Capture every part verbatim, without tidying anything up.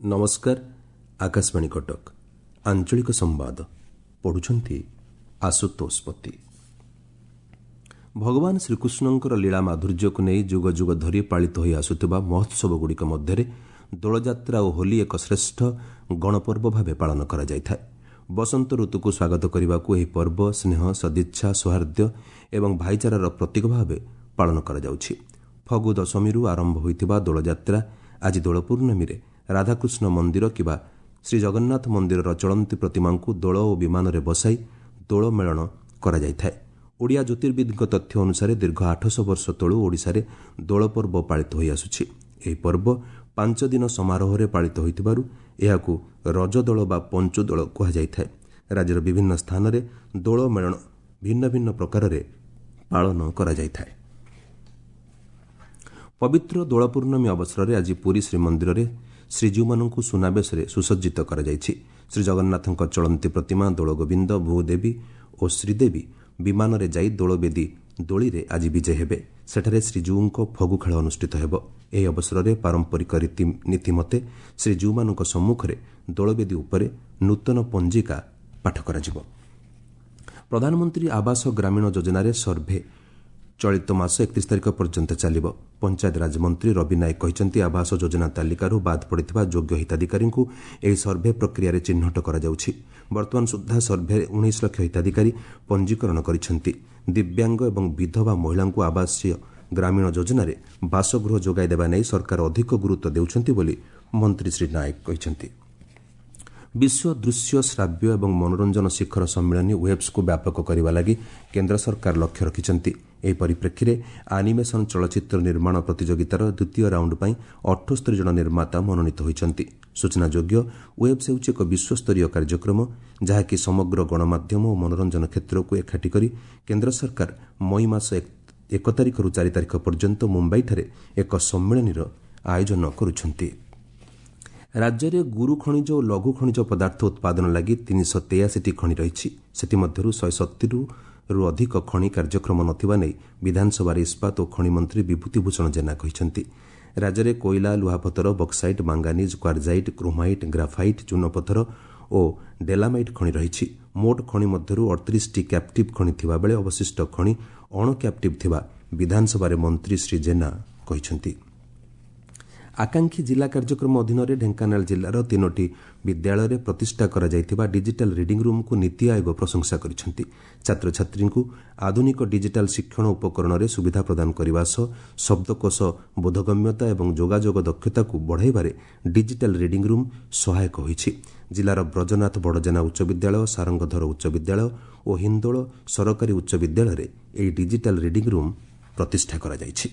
ନମସ୍କାର, ଆକାଶବାଣୀ କଟକ, ଆଞ୍ଚଳିକ ସମ୍ବାଦ ପଢୁଛନ୍ତି ଆଶୁତୋଷ ପତି। ଭଗବାନ ଶ୍ରୀକୃଷ୍ଣଙ୍କର ଲୀଳା ମାଧୁର୍ଯ୍ୟକୁ ନେଇ ଯୁଗ ଯୁଗ ଧରି ପାଳିତ ହୋଇ ଆସୁଥିବା ମହୋତ୍ସବଗୁଡ଼ିକ ମଧ୍ୟରେ ଦୋଳଯାତ୍ରା ଓ ହୋଲି ଏକ ଶ୍ରେଷ୍ଠ ଗଣପର୍ବ ଭାବେ ପାଳନ କରାଯାଇଥାଏ। ବସନ୍ତ ଋତୁକୁ ସ୍ୱାଗତ କରିବାକୁ ଏହି ପର୍ବ ସ୍ନେହ, ସଦିଚ୍ଛା, ସୌହାର୍ଦ୍ଦ୍ୟ ଏବଂ ଭାଇଚାରାର ପ୍ରତୀକ ଭାବେ ପାଳନ କରାଯାଉଛି। ଫଗୁ ଦଶମୀରୁ ଆରମ୍ଭ ହୋଇଥିବା ଦୋଳଯାତ୍ରା ଆଜି ଦୋଳ ପୂର୍ଣ୍ଣମୀରେ ରାଧାକୃଷ୍ଣ ମନ୍ଦିର କିମ୍ବା ଶ୍ରୀଜଗନ୍ନାଥ ମନ୍ଦିରର ଚଳନ୍ତି ପ୍ରତିମାଙ୍କୁ ଦୋଳ ଓ ବିମାନରେ ବସାଇ ଦୋଳ ମେଳଣ କରାଯାଇଥାଏ। ଓଡ଼ିଆ ଜ୍ୟୋତିର୍ବିଦଙ୍କ ତଥ୍ୟ ଅନୁସାରେ ଦୀର୍ଘ ଆଠଶହ ବର୍ଷ ତଳୁ ଓଡ଼ିଶାରେ ଦୋଳ ପର୍ବ ପାଳିତ ହୋଇଆସୁଛି। ଏହି ପର୍ବ ପାଞ୍ଚ ଦିନ ସମାରୋହରେ ପାଳିତ ହୋଇଥିବାରୁ ଏହାକୁ ରଜଦୋଳ ବା ପଞ୍ଚୁଦୋଳ କୁହାଯାଇଥାଏ। ରାଜ୍ୟର ବିଭିନ୍ନ ସ୍ଥାନରେ ଦୋଳ ମେଳଣ ଭିନ୍ନ ଭିନ୍ନ ପ୍ରକାରରେ ପାଳନ କରାଯାଇଥାଏ। ପବିତ୍ର ଦୋଳ ପୂର୍ଣ୍ଣମୀ ଅବସରରେ ଆଜି ପୁରୀ ଶ୍ରୀମନ୍ଦିରରେ ଶ୍ରୀଜୀଉମାନଙ୍କୁ ସୁନାବେଶରେ ସୁସଜ୍ଜିତ କରାଯାଇଛି। ଶ୍ରୀଜଗନ୍ନାଥଙ୍କ ଚଳନ୍ତି ପ୍ରତିମା ଦୋଳଗୋବିନ୍ଦ, ଭୂଦେବୀ ଓ ଶ୍ରୀଦେବୀ ବିମାନରେ ଯାଇ ଦୋଳବେଦୀ ଦୋଳିରେ ଆଜି ବିଜେ ହେବେ। ସେଠାରେ ଶ୍ରୀଜୀଉଙ୍କ ଫଗୁ ଖେଳ ଅନୁଷ୍ଠିତ ହେବ। ଏହି ଅବସରରେ ପାରମ୍ପରିକ ରୀତିନୀତି ମତେ ଶ୍ରୀଜୀଉମାନଙ୍କ ସମ୍ମୁଖରେ ଦୋଳବେଦୀ ଉପରେ ନୂତନ ପଞ୍ଜିକା ପାଠ କରାଯିବ। ପ୍ରଧାନମନ୍ତ୍ରୀ ଆବାସ ଗ୍ରାମୀଣ ଯୋଜନାରେ ସର୍ଭେ ଚଳିତ ମାସ ଏକତିରିଶ ତାରିଖ ପର୍ଯ୍ୟନ୍ତ ଚାଲିବ। ପଞ୍ଚାୟତରାଜ ମନ୍ତ୍ରୀ ରବି ନାୟକ କହିଛନ୍ତି, ଆବାସ ଯୋଜନା ତାଲିକାରୁ ବାଦ୍ ପଡ଼ିଥିବା ଯୋଗ୍ୟ ହିତାଧିକାରୀଙ୍କୁ ଏହି ସର୍ଭେ ପ୍ରକ୍ରିୟାରେ ଚିହ୍ନଟ କରାଯାଉଛି। ବର୍ତ୍ତମାନ ସୁଦ୍ଧା ସର୍ଭେରେ ଉଣେଇଶ ଲକ୍ଷ ହିତାଧିକାରୀ ପଞ୍ଜୀକରଣ କରିଛନ୍ତି। ଦିବ୍ୟାଙ୍ଗ ଏବଂ ବିଧବା ମହିଳାଙ୍କୁ ଆବାସୀୟ ଗ୍ରାମୀଣ ଯୋଜନାରେ ବାସଗୃହ ଯୋଗାଇ ଦେବା ନେଇ ସରକାର ଅଧିକ ଗୁରୁତ୍ୱ ଦେଉଛନ୍ତି ବୋଲି ମନ୍ତ୍ରୀ ଶ୍ରୀ ନାୟକ କହିଛନ୍ତି। ବିଶ୍ୱ ଦୃଶ୍ୟ, ଶ୍ରାବ୍ୟ ଏବଂ ମନୋରଞ୍ଜନ ଶିଖର ସମ୍ମିଳନୀ ୱେବ୍ସକୁ ବ୍ୟାପକ କରିବା ଲାଗି କେନ୍ଦ୍ର ସରକାର ଲକ୍ଷ୍ୟ ରଖିଛନ୍ତି। ଏହି ପରିପ୍ରେକ୍ଷୀରେ ଆନିମେସନ୍ ଚଳଚ୍ଚିତ୍ର ନିର୍ମାଣ ପ୍ରତିଯୋଗିତାର ଦ୍ୱିତୀୟ ରାଉଣ୍ଡ ପାଇଁ ଅଠସ୍ତରୀ ଜଣ ନିର୍ମାତା ମନୋନୀତ ହୋଇଛନ୍ତି। ସୂଚନାଯୋଗ୍ୟ, ୱେବ୍ସ ହେଉଛି ଏକ ବିଶ୍ୱସ୍ତରୀୟ କାର୍ଯ୍ୟକ୍ରମ, ଯାହାକି ସମଗ୍ର ଗଣମାଧ୍ୟମ ଓ ମନୋରଞ୍ଜନ କ୍ଷେତ୍ରକୁ ଏକାଠି କରି କେନ୍ଦ୍ର ସରକାର ମଇ ମାସ ଏକ ତାରିଖରୁ ଚାରି ତାରିଖ ପର୍ଯ୍ୟନ୍ତ ମୁମ୍ବାଇଠାରେ ଏକ ସମ୍ମିଳନୀର ଆୟୋଜନ କରୁଛନ୍ତି। ରାଜ୍ୟରେ ଗୁରୁ ଖଣିଜ ଓ ଲଘୁ ଖଣିଜ ପଦାର୍ଥ ଉତ୍ପାଦନ ଲାଗି ତିନିଶହ ତେୟାଅଶୀଟି ଖଣି ରହିଛି। ସେଥିମଧ୍ୟରୁ ଶହେ ସତୁରିରୁ ଅଧିକ ଖଣି କାର୍ଯ୍ୟକ୍ଷମ ନଥିବା ନେଇ ବିଧାନସଭାରେ ଇସ୍ପାତ ଓ ଖଣି ମନ୍ତ୍ରୀ ବିଭୂତି ଭୂଷଣ ଜେନା କହିଛନ୍ତି। ରାଜ୍ୟରେ କୋଇଲା, ଲୁହାପଥର, ବକ୍ସାଇଟ୍, ମାଙ୍ଗାନିଜ୍, କ୍ୱାର୍ଜାଇଟ୍, କ୍ରୋମାଇଟ୍, ଗ୍ରାଫାଇଟ୍, ଚୂନପଥର ଓ ଡେଲାମାଇଟ୍ ଖଣି ରହିଛି। ମୋଟ ଖଣି ମଧ୍ୟରୁ ଅଠତିରିଶଟି କ୍ୟାପ୍ଟିଭ୍ ଖଣି ଥିବାବେଳେ ଅବଶିଷ୍ଟ ଖଣି ଅଣ କ୍ୟାପ୍ଟିଭ୍ ଥିବା ବିଧାନସଭାରେ ମନ୍ତ୍ରୀ ଶ୍ରୀ ଜେନା କହିଛନ୍ତି। ଆକାଂକ୍ଷୀ ଜିଲ୍ଲା କାର୍ଯ୍ୟକ୍ରମ ଅଧୀନରେ ଢେଙ୍କାନାଳ ଜିଲ୍ଲାର ତିନୋଟି ବିଦ୍ୟାଳୟରେ ପ୍ରତିଷ୍ଠା କରାଯାଇଥିବା ଡିଜିଟାଲ ରିଡିଂ ରୁମ୍କୁ ନୀତି ଆୟୋଗ ପ୍ରଶଂସା କରିଛନ୍ତି। ଛାତ୍ରଛାତ୍ରୀଙ୍କୁ ଆଧୁନିକ ଡିଜିଟାଲ ଶିକ୍ଷଣ ଉପକରଣରେ ସୁବିଧା ପ୍ରଦାନ କରିବା ସହ ଶବ୍ଦକୋଷ ବୋଧଗମ୍ୟତା ଏବଂ ଯୋଗାଯୋଗ ଦକ୍ଷତାକୁ ବଢ଼ାଇବାରେ ଡିଜିଟାଲ ରିଡିଂ ରୁମ୍ ସହାୟକ ହୋଇଛି। ଜିଲ୍ଲାର ବ୍ରଜନାଥ ବଡ଼ଜେନା ଉଚ୍ଚ ବିଦ୍ୟାଳୟ, ସାରଙ୍ଗଧର ଉଚ୍ଚ ବିଦ୍ୟାଳୟ ଓ ହିନ୍ଦୋଳ ସରକାରୀ ଉଚ୍ଚ ବିଦ୍ୟାଳୟରେ ଏହି ଡିଜିଟାଲ ରିଡିଂ ରୁମ୍ ପ୍ରତିଷ୍ଠା କରାଯାଇଛି।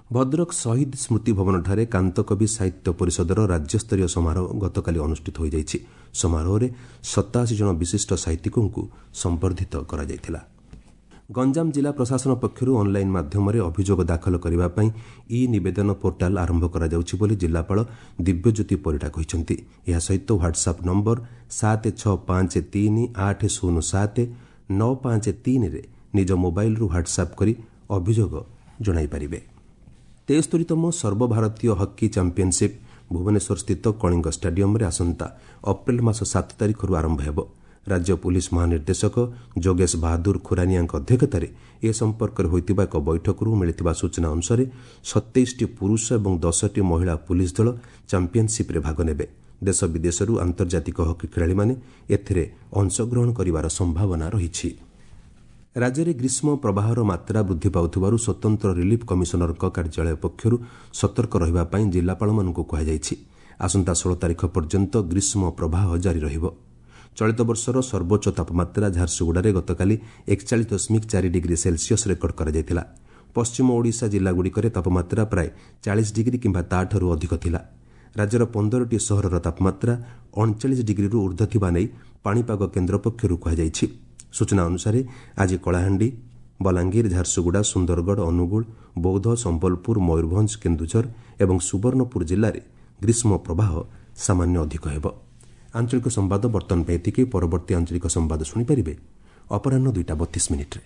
ଭଦ୍ରକ ଶହୀଦ ସ୍ମୃତି ଭବନଠାରେ କାନ୍ତକବି ସାହିତ୍ୟ ପରିଷଦର ରାଜ୍ୟସ୍ତରୀୟ ସମାରୋହ ଗତକାଲି ଅନୁଷ୍ଠିତ ହୋଇଯାଇଛି। ସମାରୋହରେ ସତାଅଶୀ ଜଣ ବିଶିଷ୍ଟ ସାହିତ୍ୟିକଙ୍କୁ ସମ୍ବର୍ଦ୍ଧିତ କରାଯାଇଥିଲା। ଗଞ୍ଜାମ ଜିଲ୍ଲା ପ୍ରଶାସନ ପକ୍ଷରୁ ଅନ୍ଲାଇନ୍ ମାଧ୍ୟମରେ ଅଭିଯୋଗ ଦାଖଲ କରିବା ପାଇଁ ଇ ନିବେଦନ ପୋର୍ଟାଲ ଆରମ୍ଭ କରାଯାଉଛି ବୋଲି ଜିଲ୍ଲାପାଳ ଦିବ୍ୟଜ୍ୟୋତି ପରିଡ଼ା କହିଛନ୍ତି। ଏହା ସହିତ ହ୍ୱାଟ୍ସଆପ୍ ନମ୍ବର ସାତ ଛଅ ପାଞ୍ଚ ତିନି ଆଠ ଶୂନ ସାତ ନଅ ପାଞ୍ଚ ତିନିରେ ନିଜ ମୋବାଇଲରୁ ହ୍ୱାଟ୍ସଆପ୍ କରି ଅଭିଯୋଗ ଜଣାଇପାରିବେ। ତେସ୍ତରୀତମ ସର୍ବଭାରତୀୟ ହକି ଚାମ୍ପିୟନସିପ୍ ଭୁବନେଶ୍ୱରସ୍ଥିତ କଳିଙ୍ଗ ଷ୍ଟାଡିୟମରେ ଆସନ୍ତା ଅପ୍ରିଲ ମାସ ସାତ ତାରିଖରୁ ଆରମ୍ଭ ହେବ। ରାଜ୍ୟ ପୁଲିସ୍ ମହାନିର୍ଦ୍ଦେଶକ ଯୋଗେଶ ବାହାଦୁର ଖୁରାନିଆଙ୍କ ଅଧ୍ୟକ୍ଷତାରେ ଏ ସମ୍ପର୍କରେ ହୋଇଥିବା ଏକ ବୈଠକରୁ ମିଳିଥିବା ସୂଚନା ଅନୁସାରେ ସତେଇଶଟି ପୁରୁଷ ଏବଂ ଦଶଟି ମହିଳା ପୁଲିସ୍ ଦଳ ଚାମ୍ପିୟନସିପ୍ରେ ଭାଗ ନେବେ। ଦେଶ ବିଦେଶରୁ ଆନ୍ତର୍ଜାତିକ ହକି ଖେଳାଳିମାନେ ଏଥିରେ ଅଂଶଗ୍ରହଣ କରିବାର ସମ୍ଭାବନା ରହିଛି। ରାଜ୍ୟରେ ଗ୍ରୀଷ୍ମ ପ୍ରବାହର ମାତ୍ରା ବୃଦ୍ଧି ପାଉଥିବାରୁ ସ୍ୱତନ୍ତ୍ର ରିଲିଫ୍ କମିଶନରଙ୍କ କାର୍ଯ୍ୟାଳୟ ପକ୍ଷରୁ ସତର୍କ ରହିବା ପାଇଁ ଜିଲ୍ଲାପାଳମାନଙ୍କୁ କୁହାଯାଇଛି। ଆସନ୍ତା ଷୋହଳ ତାରିଖ ପର୍ଯ୍ୟନ୍ତ ଗ୍ରୀଷ୍ମ ପ୍ରବାହ ଜାରି ରହିବ। ଚଳିତ ବର୍ଷର ସର୍ବୋଚ୍ଚ ତାପମାତ୍ରା ଝାରସୁଗୁଡ଼ାରେ ଗତକାଲି ଏକଚାଳିଶ ଦଶମିକ ଚାରି ଡିଗ୍ରୀ ସେଲସିୟସ୍ ରେକର୍ଡ କରାଯାଇଥିଲା। ପଶ୍ଚିମ ଓଡ଼ିଶା ଜିଲ୍ଲାଗୁଡ଼ିକରେ ତାପମାତ୍ରା ପ୍ରାୟ ଚାଳିଶ ଡିଗ୍ରୀ କିମ୍ବା ତାଠାରୁ ଅଧିକ ଥିଲା। ରାଜ୍ୟର ପନ୍ଦରଟି ସହରର ତାପମାତ୍ରା ଅଣଚାଳିଶ ଡିଗ୍ରୀରୁ ଉର୍ଦ୍ଧ୍ୱ ଥିବା ନେଇ ପାଣିପାଗ କେନ୍ଦ୍ର ପକ୍ଷରୁ କୁହାଯାଇଛି। ସୂଚନା ଅନୁସାରେ ଆଜି କଳାହାଣ୍ଡି, ବଲାଙ୍ଗୀର, ଝାରସୁଗୁଡ଼ା, ସୁନ୍ଦରଗଡ଼, ଅନୁଗୁଳ, ବୌଦ୍ଧ, ସମ୍ବଲପୁର, ମୟୂରଭଞ୍ଜ, କେନ୍ଦୁଝର ଏବଂ ସୁବର୍ଣ୍ଣପୁର ଜିଲ୍ଲାରେ ଗ୍ରୀଷ୍ମ ପ୍ରବାହ ସାମାନ୍ୟ ଅଧିକ ହେବ। ଆଞ୍ଚଳିକ ସମ୍ବାଦ ବର୍ତ୍ତମାନ ପାଇଁ ଏତିକି। ପରବର୍ତ୍ତୀ ଆଞ୍ଚଳିକ ସମ୍ବାଦ ଶୁଣିପାରିବେ ଅପରାହ୍ନ ଦୁଇଟା ବତିଶ ମିନିଟ୍ରେ।